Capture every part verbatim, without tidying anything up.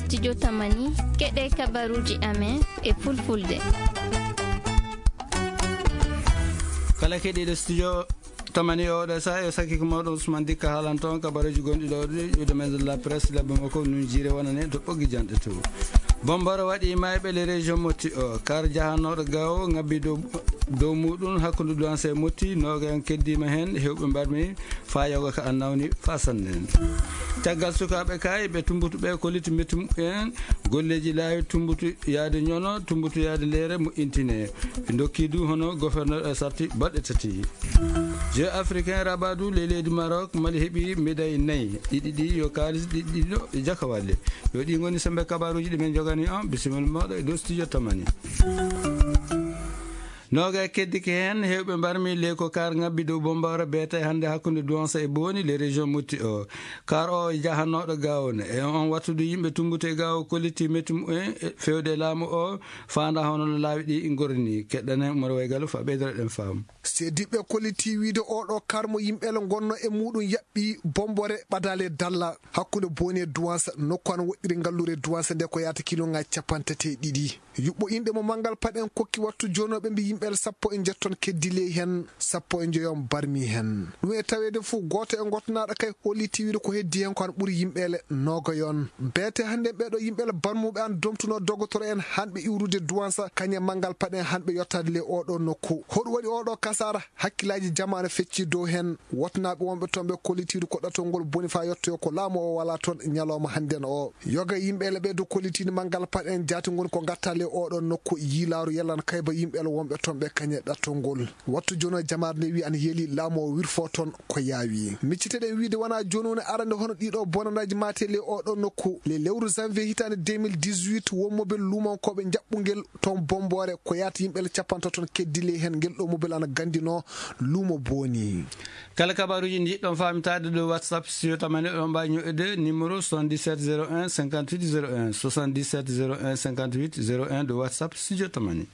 Studio Tamani, keɗe kabaruji amen e fulfulde. Kala keɗiɗo studio Tamani oɗo sa yo sakki ko mawɗo Ousmane Dikka haalanto on kabaruji gonɗi ɗo ɗi ɗuɗe men la presse labbe makko nun jire wonane to ɓoggi janɗe to. Bomboro waɗi mayɓe le région motti o kar jahannoɗo gawo ngabbi dow dow muɗum hakkunde duwanse motti noga en keddima hen hewɓe mbarmi fa yoga ka annawni fa sannen. Caggal sukaaɓe kay ɓe tumbutuɓe koliti metti muɓɓen golleji laawi tumbutu yaade ñono tumbutu yaade leere moƴƴintine. Ɓe dokki du hono gouverneur e sarti baɗɗe tati. Jeux africain rabadu le leydi Maroc mali heɓi médaille nayi ɗiɗi ɗi yo kalis ɗiɗi ɗiɗo e jakawalle. Yo ɗi goni sembe kabaruji ɗi men jogani on bisimilla moɗo e dow studio Tamani. Noga e keddike heen hewɓe mbarmi ley ko kar ngabbi dow bombawre beete hannde hakkunde duwansa e booni le région motti o. Kar o e jahannoɗo gawon e on wattudu yimɓe tumbutu e gawo kolliti metti mumen fewde e laamu o. Fanda hono no laawi ɗi gorni keɗɗane umar waygalu fa ɓeydoro ɗen faamu. Sediɓɓe kolliti wiide oɗo kar mo yimɓe le gonno e muɗum yaɓɓi bombore ɓadale dalla hakkunde booni e duwansa nokku an woɗɗiri ngallure duwansa nde ko yata kiloŋaji capantati e ɗiɗi. Yuɓɓo inɗe mo manngal paɗen kokki wattu jonooɓe mbi yimɓeele sappo e njetton keddi ley heen sappo e njoyon barmi heen. Ɗum e taweede fof gooto e ngotnaaɗo kay holli tiwiiɗo ko heddi heen ko an ɓuri yimɓeele noogayon. Beete hannde ɓeeɗo yimɓeele barmuɓe an domtunoo dogotoro en hanɓe iwrude duwansa kañe manngal paɗen hanɓe yottaade ley oɗo nokku. Hoɗum waɗi oɗo kasaara hakkillaaji jamaanu fecci dow heen. Wotnaaɓe wonɓe toon ɓe kollitiiɗo ko ɗatol ngol boni faa yottoyo ko laamu o walaa toon ñalooma hannden o. Yoga yimɓe ele ɓe dow kollitiiɗi manngal paɗen jaati ngoni ko ngatta le oɗo nokku yiilaaru yallan kayba yimɓe ele wonɓe toon ɓe kañe ɗattol ngol. Wattu jono jamaare nde wi ana yeeli laamu o wirfo toon ko yaawi. Micciteɗen wiide wona jooni woni arande hono ɗiɗo bonanaaji maate le oɗo nokku. Le lewru janvier hitaande deux mille dix-huit won mobel luumankooɓe njaɓɓungel toon Bombore ko yaata yimɓe ele capantato toon keddi ley heen ngel ɗo mobel ana ganndinoo luumo booni. Kala kabaruuji ndi ɗon faamitaade ɗo WhatsApp studio Tamani oɗon mbaawi ñoƴƴude numéro soixante-dix-sept zéro un cinquante-huit zéro un, soixante-dix-sept zéro un cinquante-huit zéro un ɗo WhatsApp studio Tamani.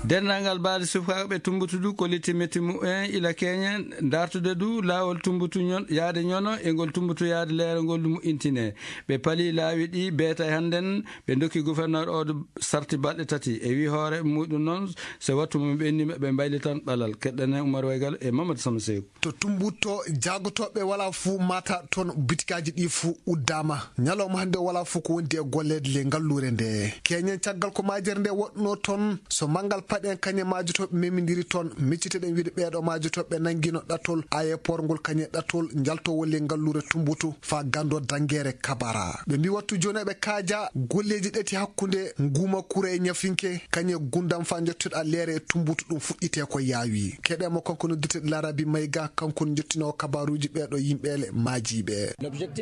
Denndaangal baali sukaaɓe tumbutu du kolliti metti mumen ila keñen dartude du laawol tumbutu ñon yaade ñono e ngol tumbutu yaade leere ngol du moƴƴintine. Ɓe pali laawi ɗi beeta e hannden ɓe dokki gouverneur o sarti balɗe tati e wi hoore muɗum noon so wattu mum ɓennima ɓe mbaylitan ɓalal keɗɗanen Umar Waygal e Mamadou Samba Seyku. To tumbutto jaagotooɓe wala fuu mata toon bitikaaji ɗi fuu uddaama ñalawma hannde wala fuu ko wondi e golleede le ngalluure nde keñen caggal ko majere nde woɗɗunoo toon so manngal paɗen kañe majotooɓe memindiri toon micciteɗen wiide ɓeeɗo majotooɓe nanngino ɗatol ayeport ngol kañe ɗatol njaltowol le ngalluure tumbutu faa ganndo dangeere kabara ɓe mbi wattu jooni eɓe kaaja golleeji ɗati hakkunde nguuma kura e ñafinke kañe gundam faa njottoɗa leere e tumbutu ɗum fuɗɗite ko yaawi keɗemo kanko noddirteɗo larabi mayga kanko njottinowo kabaruuji ɓeeɗo yimɓeele maajiiɓe.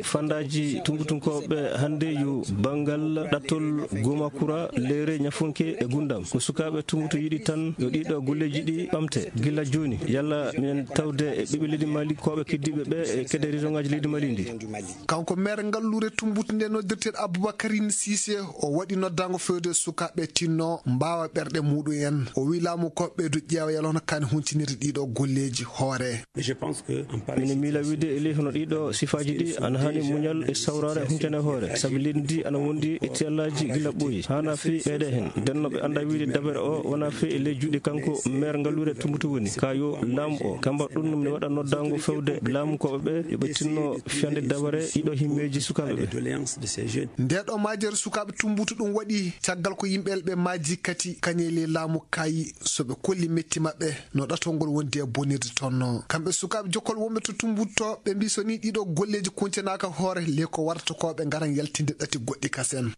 Fandaaji tumbutunkooɓe hannde yo banngal ɗattol goma kura leere ñafunke e gundam ko sukaaɓe tumbutu yiɗi tan yo ɗiɗo golleeji ɗi ɓamte gila jooni yalla minen tawde e ɓiɓɓe leydi mali kooɓe keddiiɓe ɓe e kede région ngaji leydi mali ndi. Kanko maire ngalluure tumbutu nde noddirteɗo Aboubacarine Cissé o waɗi noddaango fewde sukaaɓe tinno mbaawa ɓerɗe muɗum en o wi laamu ko ɓeydu ƴeewa yalon kani huncinirde ɗiɗo golleeji hoore. Mino miila wiide e ley hono ɗiɗo sifaaji ɗi ana haani muñal e sawraare huncane hoore sabi leydi ndi ana wondi e tiyallaaji gila ɓooyi haana fii ɓeyde heen nden no ɓe annda wiide dabere o wona fii e ley juuɗe kanko maire ngalluure tumbutu woni ka yo laamu o kamba ɗum mi waɗa noddaango fewde laamu koɓe ɓe yo ɓe tinno fiyande dabare ɗiɗo himmeeji sukaaɓe ɓe. Ndeɗo majere sukaaɓe tumbutu ɗum waɗi caggal ko yimɓe ɓe maaji kati kañe ley laamu kayi so ɓe kolli metti maɓɓe no ɗatol ngol wondi e bonirde toon no kamɓe sukaaɓe jokkol wonɓe to tumbutto ɓe mbi so ni ɗiɗo golleeji kuncanaaka hoore le ko warata ko ɓe ngaran yaltinde ɗati goɗɗi kasen.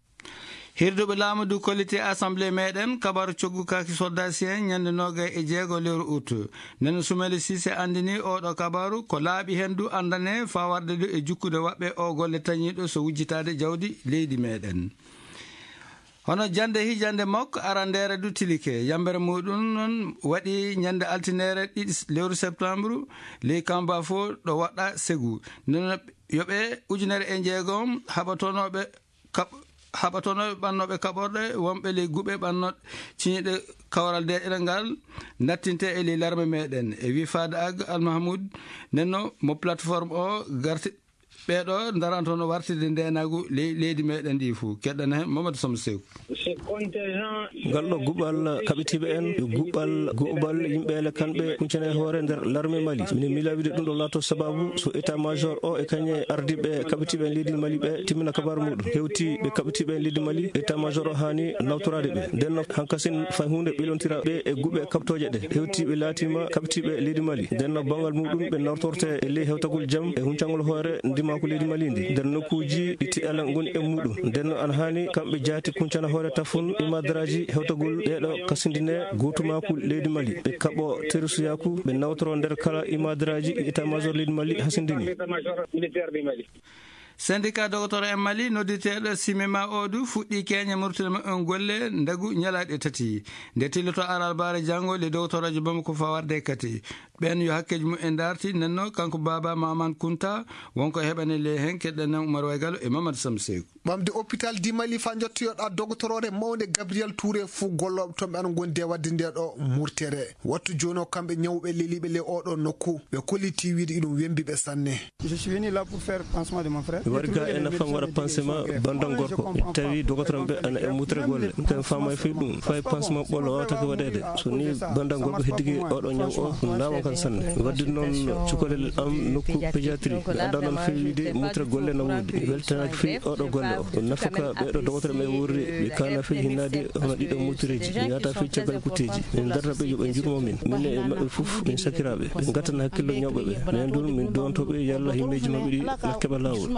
Hirduɓe laamu du kolliti assemblée meɗen kabaru coggu kaki soldasien ñande nogay e jeego lewru août. Nden sumeli sise andini oɗo kabaru ko laaɓi hen du andane fawarde du e jukkude waɓɓe o golle tañiɗo so wujjitaade jawdi leydi meɗen. Hono jannde hijannde makko aranndeere du tilike yambere muɗum noon waɗi ñande altinere ɗiɗi lewru septembre ley kamba fof ɗo waɗɗa segu nde yo ɓe ujunere e jeegom haɓatonooɓe kaɓ haɓatonooɓe ɓannooɓe kaɓorɗe wonɓe ley guɓe ɓannoɗ ciñiiɗe kawral deeƴere ngal nattinte e ley larme meɗen e wi faade ag almahmoud nenno mo plateforme o garti Ɓeeɗo ndarantono wartirde ndeenaagu ley-, leydi meɗen ndi fuu. Keɗɗana heen Mamadou Samb Seeku. Ngal ɗo guɓal kaɓitiiɓe en, yo guɓal guɓal yimɓe ele kamɓe kuncana e hoore nder larme Mali. Mine miila wiide ɗum ɗo laato sababu so état major o e kañe ardiiɓe kaɓitiiɓe en leydi Mali ɓe timmina kabaru muɗum. Hewti ɓe kaɓitiiɓe en leydi Mali, état major o haani nawtoraade ɓe. Nden no hankasin fay huunde ɓilontira ɓe e guɓe kaɓtooje ɗe. Hewti ɓe laatiima kaɓitiiɓe leydi Mali. Nden no banngal muɗum ɓe nawtorte e ley hewtagol jam e huncangol hoore ndimaku leydi Mali ndi. Nder nokkuuji ɗi tiɗalla ngoni e muɗum. Nden no ana haani kamɓe jaati kuncana hoore tafun imadaraaji hewtagol ɗeeɗo kasindine gootumaaku leydi Mali. Ɓe kaɓo terisuyaaku, ɓe nawtoro nder kala imadaraaji ɗi état major leydi Mali hasindini. Syndicat docteur en Mali nodditeeɗo Simema o du fuɗɗi keeñe murtude maɓɓe on golle ndagu ñalaaɗe tati. Nde tilloto alarbaare janngo, le docteur aji Bamako fawarde kati. Ɓen yo hakkeeji mumen darti, nenno kanko Baba Maman Kunta, wonko heɓane le heen, keɗɗen nan Umar Waygalo e Mamadou Samb Seeku. Ɓamde hôpital di Mali faa njottoyoɗaa dogotoroore mawnde Gabriel Touré fuu gollooɓe toon ɓe ana ngondi e waɗde nde ɗo murtere. Wattu jooni o kamɓe ñawɓe leliiɓe le oɗo nokku, ɓe kolliti wiide iɗum wembi ɓe sanne. Je suis venu là pour faire pansement de mon frère. Mi wari ga e nafam waɗa pansement banndam gorko. Mi tawi dogotoram ɓe ana e mutre golle. Mi tawi faama e fii ɗum. Fay pansement ɓolo wawata ko waɗeede. So ni banndam gorko heddike oɗo ñaw o, ɗum laawa kan sanne. Mi waddi noon cukalel am nokku pédiatrie. Mi annda noon feewi wiide mutre golle na woodi. Mi weltanaaki fii oɗo golle o. Ɗum nafaka ɓeeɗo dogotoram e wuurri. Ɓe kaana fii hinnaade hono ɗiɗo mutreeji. Mi yahata fii caggal kutteeji. Min darta ɓe yo ɓe njurmo min. Min e maɓɓe fof min sakiraaɓe. Ɓe ngatana hakkillo ñawɓe ɓe. Minen ɗum min doonto ɓe yalla himmeeji maɓɓe ɗi na keɓa laawol.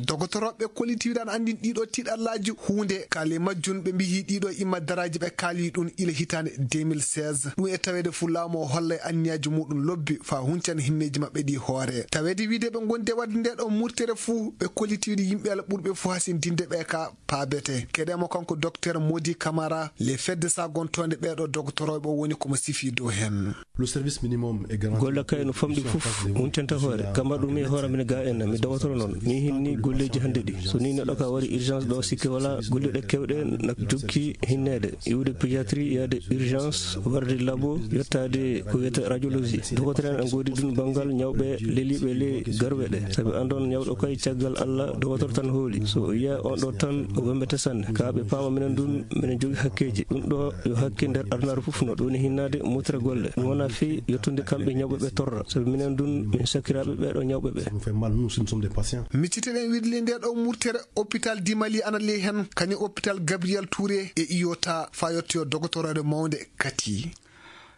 Dogotoroɓe kolliti wiɗan anndin ɗiɗo tiɗallaaji huunde kaali majjun ɓe mbiyi ɗiɗo imma daraaji ɓe kaali ɗum ila hitaande deux mille seize. Ɗum e taweede fof laamu o holla e anniyaaji muɗum lobbi faa huncan himmeeji maɓɓe ɗi hoore. Taweede wiide ɓe ngondi e waɗde nde ɗo murtere fof ɓe kolliti wiide yimɓe ala ɓurɓe fof hasindinde ɓe ka paabete. Keɗemo kanko docteur Modi Camara, le fedde sagontoonde ɓeeɗo dogotoroɓe o woni komo sifi dow heen. Le service minimum est garanti. Golle kay no famɗi fof, huncanta hoore. Kamma ɗum e hoore mine ga en, mi dogotoro noon. Mi hinni golleeji hannde ɗi. So ni neɗɗo ka wari urgence ɗo sikke wala, golle ɗe kewɗe na jokki hinneede. Iwde pédiatrie, yaade urgence, warde labo, yettaade ko wiyata radiologie. Dogotoro en ngoodi ɗum banngal ñawɓe leliiɓe le garwe ɗe. Sabi anndon ñawɗo kay caggal Allah dogotoro tan hooli. So o yiya on ɗo tan o wembete sanne. Ka ɓe paama minen ɗum, minen jogi hakkeeji. Ɗum ɗo yo hakke nder adunaaru fof no ɗum woni hinnaade mutre golle. Ɗum wona fii yettude kamɓe ñawɓe ɓe torra. Sabi minen ɗum min sakiraaɓe ɓeeɗo ñawɓe ɓe. Ça nous fait mal, nous, si nous sommes des patients. Micciteɗen wiɗli nde ɗo murtere hôpital di Mali ana ley heen, kañum hôpital Gabriel Touré e iyota faa yettoyo dogotoroore mawnde kati.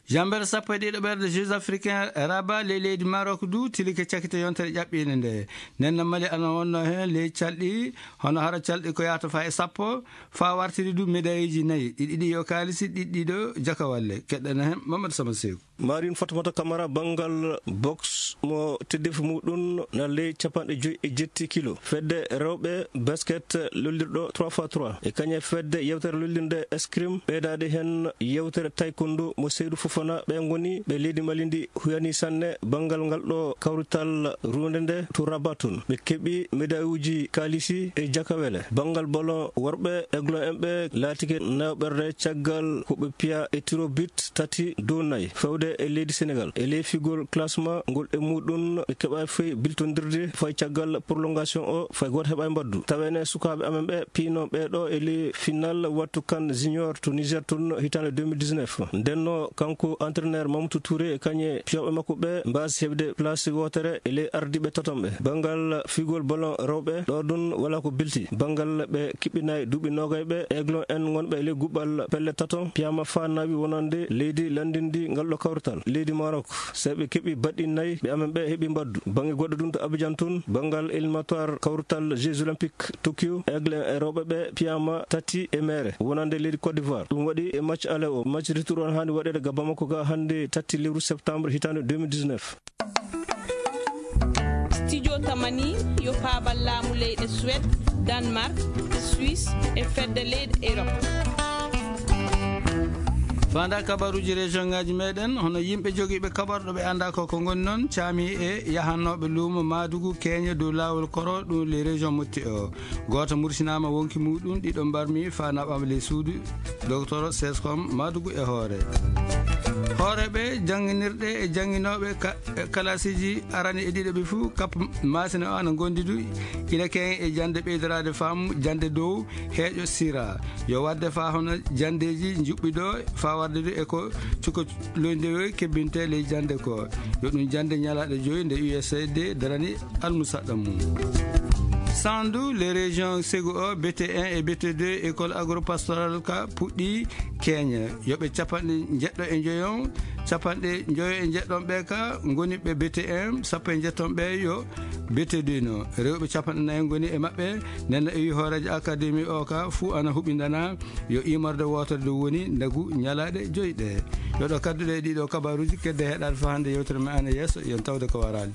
Jambere sappo e ɗiɗo ɓerde Jeux africains Rabat ley leydi Maroc du tilike cakkite yontere ƴaɓɓiinde nde. Nden no Mali ana wonno heen ley calɗi, hono hara calɗi ko yahata faa e sappo, faa wartiri du médailleji nayi, ɗiɗi ɗi yo kaalisi, ɗiɗi ɗi ɗo jakawalle. Keɗɗana heen Mamadou Sama Seeku. Marine Fatoumata Camara banngal boxe mo teddeefi muɗum na ley capanɗe joyi e jetti kilo. Fedde rewɓe basket lollirɗo trois fois trois. E kañe fedde yewtere lollirde escrime ɓeydaade heen yewtere taekwondo mo Seydou Fofana ɓe ngoni ɓe leydi Mali ndi huyani sanne banngal ngal ɗo kawrital runde nde to Rabat tun. Ɓe keɓi medayuuji kaalisi e jakawele. Banngal ballon worɓe Aiglon en ɓe laatike nayo ɓerde caggal ko ɓe piya e tiro but tati dow nayi fewde e leydi Senegal. E ley figol classement ngol e muɗum ɓe keɓa fey biltondirde fay caggal prolongation o fay gooto heɓa e mbaddu. Tawene sukaaɓe amen ɓe piino ɓe ɗo e ley final wattu kan junior to Niger tun hitaande deux mille dix-neuf. Ndenno kanko entraîneur Mamadou Touré e kañe piyooɓe makko ɓe mbaasi heɓde place wootere e ley ardiiɓe taton ɓe. Banngal figol ballon rewɓe ɗo ɗum wala ko bilti. Banngal ɓe kiɓɓinaay duuɓi noogay ɓe Aiglon en ngonɓe e ley guɓɓal pelle taton piyama faa nawi wonande leydi lanndindi ngal ɗo kawrital leydi Maroc. Sabi ɓe keɓi baɗɗi nayi ɓe amen ɓe heɓi mbaddu. Bannge goɗɗo ɗum to Abidjan tun banngal éliminatoire kawrital Jeux Olympiques Tokyo Aigle en e rewɓe ɓe piyama tati e meere wonande leydi Côte d'Ivoire. Ɗum waɗi e match aller o. Match retour on haani waɗeede ga Bamako ga hannde tati lewru septembre hitaande deux mille dix-neuf. Studio Tamani yo paabal laamu leyɗe Suède, Danemark, e Suisse e fedde leyɗe Europe. Fanda kabaruuji région ngaji meɗen, hono yimɓe jogiiɓe kaɓorɗo ɓe annda ko ko ngoni noon, caami e yahannooɓe luumo Maadugu keeña dow laawol koro ɗum les régions motti o. Gooto mursinaama wonki muɗum, ɗiɗo mbarmi faa naɓaama ley suudu docteur Sescom Maadugu e hoore. Hooreeɓe jannginirɗe e jannginooɓe ka- e kalaasiiji arani e ɗiɗaɓi fuu, kap maasina o ana ngondidu ina keŋ e jannde ɓeydoraade faamu jannde dow heeƴo sira. Yo waɗde faa hono janndeeji njuɓɓi ɗo faa waɗde du e ko cuko loydewe kebbinte ley jannde ko. Yo ɗum jannde ñalaaɗe joyi nde U S A I D darani almusaɗɗa mum. Sandu, les régions Segu o, B T un et B T deux, école agro-pastorale ka puɗɗi keeña. Yoɓe capanɗe njeɗɗo e njoyon, capanɗe njoyo e njeɗɗon ɓe ka ngoni ɓe B T un, sappo e njetton ɓe yo B T deux no. Rewɓe capanɗe nayi ngoni e maɓɓe, nden no iwi hooreejo académie o ka fuu ana huɓindana yo immorde wootere nde woni ndagu ñalaaɗe joyi ɗe. Yo ɗo kadduɗe e ɗiɗo kabaruuji kedde heɗaade faa hannde yewtere men ana yeeso, yon tawde ko waraali.